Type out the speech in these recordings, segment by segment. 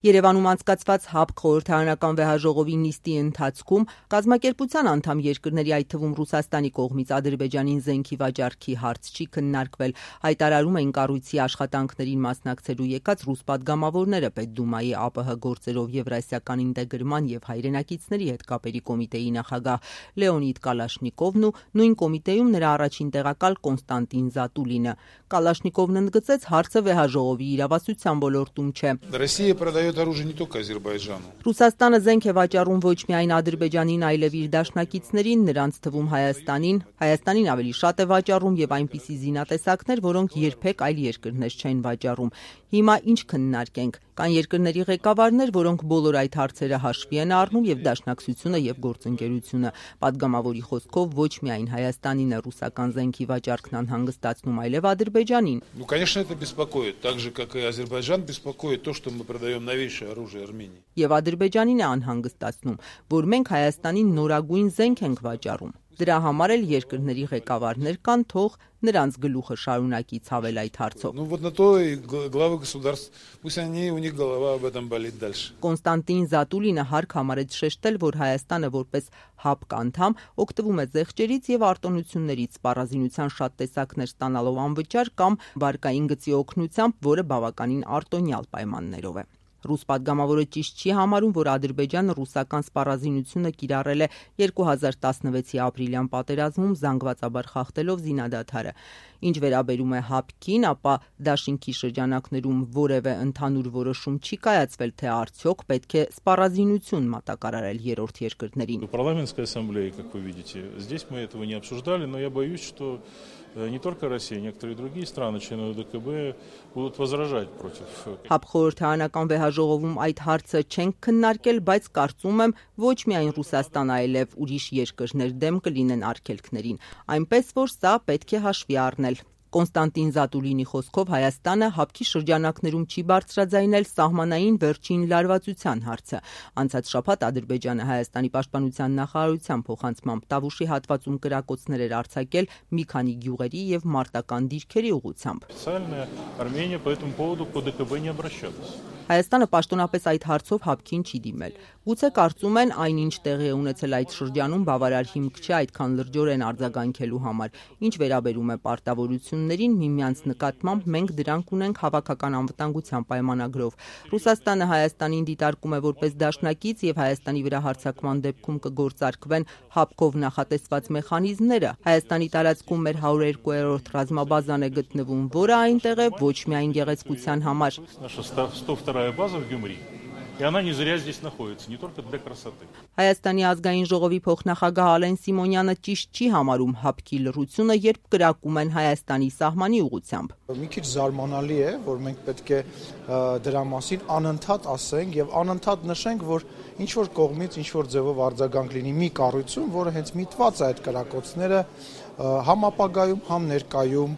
Երևանում անցկացված ՀԱՊԿ խորհրդարանական վեհաժողովի նիստի ընթացքում կազմակերպության անդամ երկրների, այդ թվում Ռուսաստանի կողմից Ադրբեջանին զենքի վաճառքի հարց չի քննարկվել, հայտարարում էին կառույցի աշխատանքներին մասնակցելու եկած ռուս պատգամավորները Պետդումայի ԱՊՀ գործերով Եվրասիական ինտեգրման եւ հայրենակիցների հետ կապերի կոմիտեի նախագահ Լեոնիդ Կալաշնիկովն ու նույն կոմիտեում նրա առաջին տեղակալ Կոնստանտին Զատուլինը։ Կալաշնիկովն ընդգծեց, հարցը վեհաժողովի իրավասության ոլորտում չէ։ Оружие не только Азербайджану. Ռուսաստանը զենք է վաճառում ոչ միայն Ադրբեջանին, այլև իր դաշնակիցներին, նրանց թվում Հայաստանին։ Հայաստանին ավելի շատ է վաճառում եւ այնպիսի զինատեսակներ, որոնք երբեք այլ երկրներ չեն վաճառում։ Հիմա ինչ քննարկենք։ Կան երկրների ղեկավարներ, որոնք բոլոր այդ հարցերը հաշվի են առնում եւ դաշնակցությունը եւ գործընկերությունը։ Պատգամավորի խոսքով ոչ միայն Հայաստանին է ռուսական զենքի վաճառքն անհանգստացնում, այլև Ադրբեջանին։ Ну, конечно, это беспокоит, так же как и Азербайджан беспокоит то, что мы продаем новейшее оружие Армении. Եվ Ադրբեջանին է անհանգստացնում, որ մենք Հայաստանին նորագույն զենք ենք վաճառում։ Դրա համար էլ երկրների ղեկավարներ կան, թող նրանց գլուխը շարունակի ցավել այդ հարցով։ Ну вот на то и главы государств, пусть они у них голова об этом болит дальше. Կոնստանտին Զատուլինը հարկ համարեց շեշտել, որ Հայաստանը որպես ՀԱՊԿ անդամ օգտվում է զեղչերից եւ արտոնություններից, սպառազինության շատ տեսակներ ստանալով անվճար կամ վարկային գծի օգնությամբ, որը բավականին արտոնյալ պայմաններով է։ Ռուս պատգամավորը ճիշտ չի համարում, որ Ադրբեջանը ռուսական սպառազինությունը կիրառել է 2016-ի ապրիլյան պատերազմում զանգվածաբար խախտելով զինադադարը։ Ինչ վերաբերում է ՀԱՊԿ-ին, ապա դաշինքի շրջանակներում որևէ ընդհանուր որոշում չի կայացվել, թե արդյոք պետք է սպառազինություն մատակարարել երրորդ երկրներին։ Парламентская ассамблея, как вы видите, здесь мы этого не обсуждали, но я боюсь, что не только Россия, некоторые другие страны, члены ОДКБ, будут возражать против. ՀԱՊԿ խորհրդարանական վեհաժողովում այդ հարցը չենք քննարկել, բայց կարծում եմ ոչ միայն Ռուսաստան, այլև ուրիշ երկրներ դեմ կլինեն արգելքներին, այնպես որ սա պետք է հաշվի առնել։ Կոնստանտին Զատուլինի խոսքով Հայաստանը ՀԱՊԿ-ի շրջանակներում չի բարձրաձայնել սահմանային վերջին լարվածության հարցը։ Անցած շաբաթ Ադրբեջանը Հայաստանի պաշտպանության նախարարության փոխանցմամբ Տավուշի հատվածում կրակոցներ էր արձակել մի քանի գյուղերի եւ մարտական դիրքերի ուղղությամբ։ Армения по этому поводу к ОДКБ не обращалась. Հայաստանը պաշտոնապես այդ հարցով ՀԱՊԿ-ին չի դիմել։ Գուցե կարծում են այնինչ տեղի է ունեցել այդ շրջանում բավարար հիմք չէ այդքան լրջորեն արձագանքելու համար։ Ինչ վերաբերում է պարտավորություններին, միմյանց նկատմամբ մենք դրանք ունենք հավաքական անվտանգության պայմանագրով։ Ռուսաստանը Հայաստանին դիտարկում է որպես դաշնակից եւ Հայաստանի վրա հարձակման դեպքում կգործարկվեն ՀԱՊԿ-ով նախատեսված մեխանիզմները։ Հայաստանի տարածքում մեր 102-րդ ռազմաբազան է գտնվում, որը այնտեղ է ոչ միայն գեղեցկության համար։ 102-я база в Гюмри. И она не зря здесь находится, не только для красоты. Հայաստանի ազգային ժողովի փոխնախագահ Ալեն Սիմոնյանը ճիշտ չի համարում ՀԱՊԿ-ի լռությունը, երբ կրակում են Հայաստանի սահմանի ուղղությամբ։ Մի քիչ զարմանալի է, որ մենք պետք է դրա մասին անընդհատ ասենք եւ անընդհատ նշենք, որ ինչ որ կողմից ինչ որ ձևով արձագանք լինի մի կառույցում, որը հենց միտված է այդ կրակոցները համ ապագայում, համ ներկայում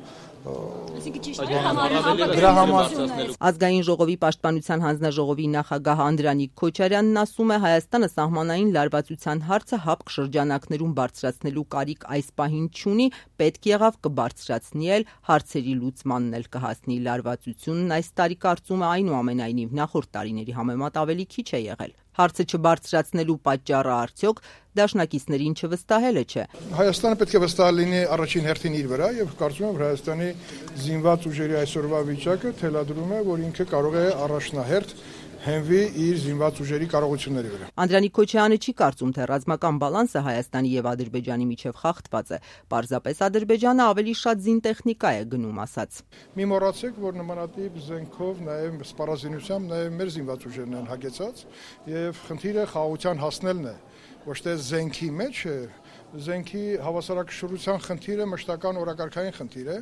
Ազգային ժողովի պաշտպանության հանձնաժողովի նախագահ Անդրանիկ Քոչարյանն ասում է, Հայաստանը սահմանային լարվածության հարցը ՀԱՊԿ շրջանակներում բարձրացնելու կարիք այս պահին չունի, պետք եղավ կբարձրացնի էլ, հարցերի լուծմանն էլ կհասնի։ Լարվածությունն այս տարի կարծում է այնուամենայնիվ նախորդ տարիների համեմատ ավելի քիչ է եղել։ Հարցը չբարձրացնելու պատճառը արդյոք դաշնակիցներին չվստահելը չէ։ Հայաստանը պետք է վստահ լինի առաջին հերթին իր վրա եւ կարծում եմ, որ Հայաստանի զինված ուժերի այսօրվա վիճակը թելադրում է, որ ինքը կարող է առաջնահերթ հենվի իր զինված ուժերի կարողությունների վրա։ Անդրանիկ Քոչյանը չի կարծում, թե ռազմական բալանսը Հայաստանի եւ Ադրբեջանի միջև խախտված է։ Պարզապես Ադրբեջանը ավելի շատ զինտեխնիկա է գնում, ասաց։ Մի մոռացեք, որ նմանատիպ զենքով նաեւ սպառազինությամբ նաեւ մեր զինված ուժերն են հագեցած եւ խնդիրը խաղաղության հասնելն է, ոչ թե զենքի մեջ է։ Զենքի հավասարակշռության խնդիրը մշտական օրակարգային խնդիր է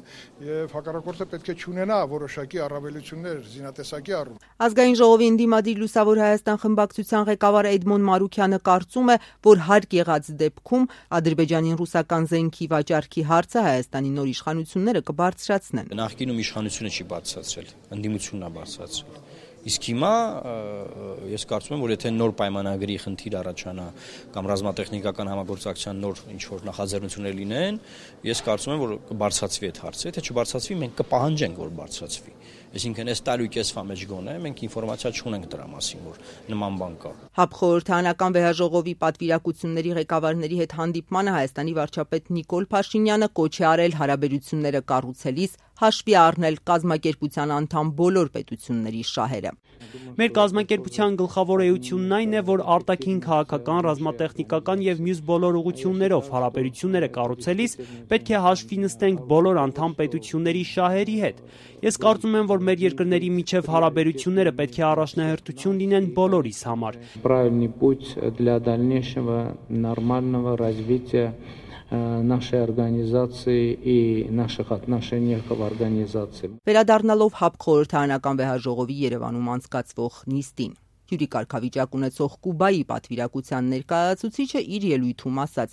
եւ հակառակորդը պետք է չունենա որոշակի առավելություններ զինատեսակի առումով։ Ազգային ժողովի ընդդիմադիր Լուսավոր Հայաստան խմբակցության ղեկավար Էդմոն Մարուքյանը կարծում է, որ հարկ եղած դեպքում Ադրբեջանին ռուսական զենքի վաճառքի հարցը Հայաստանի նոր իշխանությունները կբարձրացնեն։ Նախկինում իշխանությունը չի բարձրացրել, ընդդիմությունն է բարձրացրել։ Իսկ հիմա ես կարծում եմ, որ եթե նոր պայմանագրի խնդիր առաջանա կամ ռազմատեխնիկական համագործակցության նոր ինչ-որ նախաձեռնություններ լինեն, ես կարծում եմ, որ կբարձրացվի այդ հարցը, եթե չբարձրացվի, մենք կպահանջենք, որ բարձրացվի։ Այսինքն այս տարի կեսվա մեջ գոնե մենք ինֆորմացիա չունենք դրա մասին, որ նման բան կա։ ՀԱՊ խորհրդարանական վեհաժողովի պատվիրակությունների ղեկավարների հետ հանդիպմանը Հայաստանի վարչապետ Նիկոլ Փաշինյանը կոչ է արել հարաբերությունները կառուցելիս հաշվի առնել կազմակերպության անդամ բոլոր պետությունների շահերը։ Մեր կազմակերպության գլխավոր էությունն այն է, որ արտաքին քաղաքական, ռազմատեխնիկական եւ մյուս բոլոր ուղղություններով հարաբերությունները կառուցելիս պետք է հաշվի նստենք բոլոր անդամ պետությունների շահերի հետ։ Ես կարծում եմ, որ մեր երկրների միջև հարաբերությունները պետք է առաջնահերթություն լինեն բոլորիս համար։ Правильный путь для дальнейшего нормального развития нашей организации и наших отношений в организации. Վերադառնալով ՀԱՊ խորհրդարանական վեհաժողովի Երևանում անցկացվող նիստին, հյուրի կարգավիճակ ունեցող Կուբայի պատվիրակության ներկայացուցիչը իր ելույթում ասաց.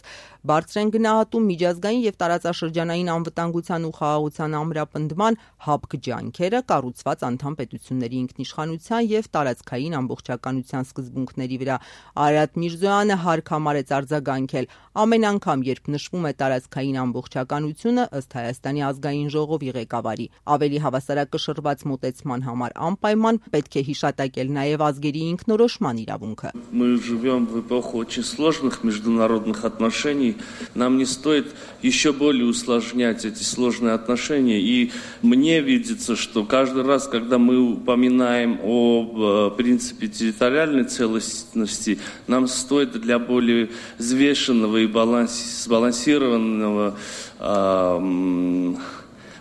բարձր են գնահատում միջազգային եւ տարածաշրջանային անվտանգության ու խաղաղության ամրապնդման ՀԱՊԿ ջանքերը կառուցված անդամ պետությունների ինքնիշխանության եւ տարածքային ամբողջականության սկզբունքների վրա։ Արարատ Միրզոյանը հարկ համարեց արձագանքել. ամեն անգամ, երբ նշվում է տարածքային ամբողջականությունը, ըստ Հայաստանի ազգային ժողովի ղեկավարի, ավելի հավասարակշռված մոտեցման համար անպայման պետք է հիշատակել նաեւ ազգերի ինքնորոշման իրավունքը։ Мы живем в эпоху очень сложных международных отношений. Нам не стоит еще более усложнять эти сложные отношения. И мне видится, что каждый раз, когда мы упоминаем о принципе территориальной целостности, нам стоит для более взвешенного и сбалансированного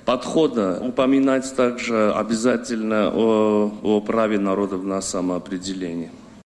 подхода упоминать также обязательно о праве народов на самоопределение.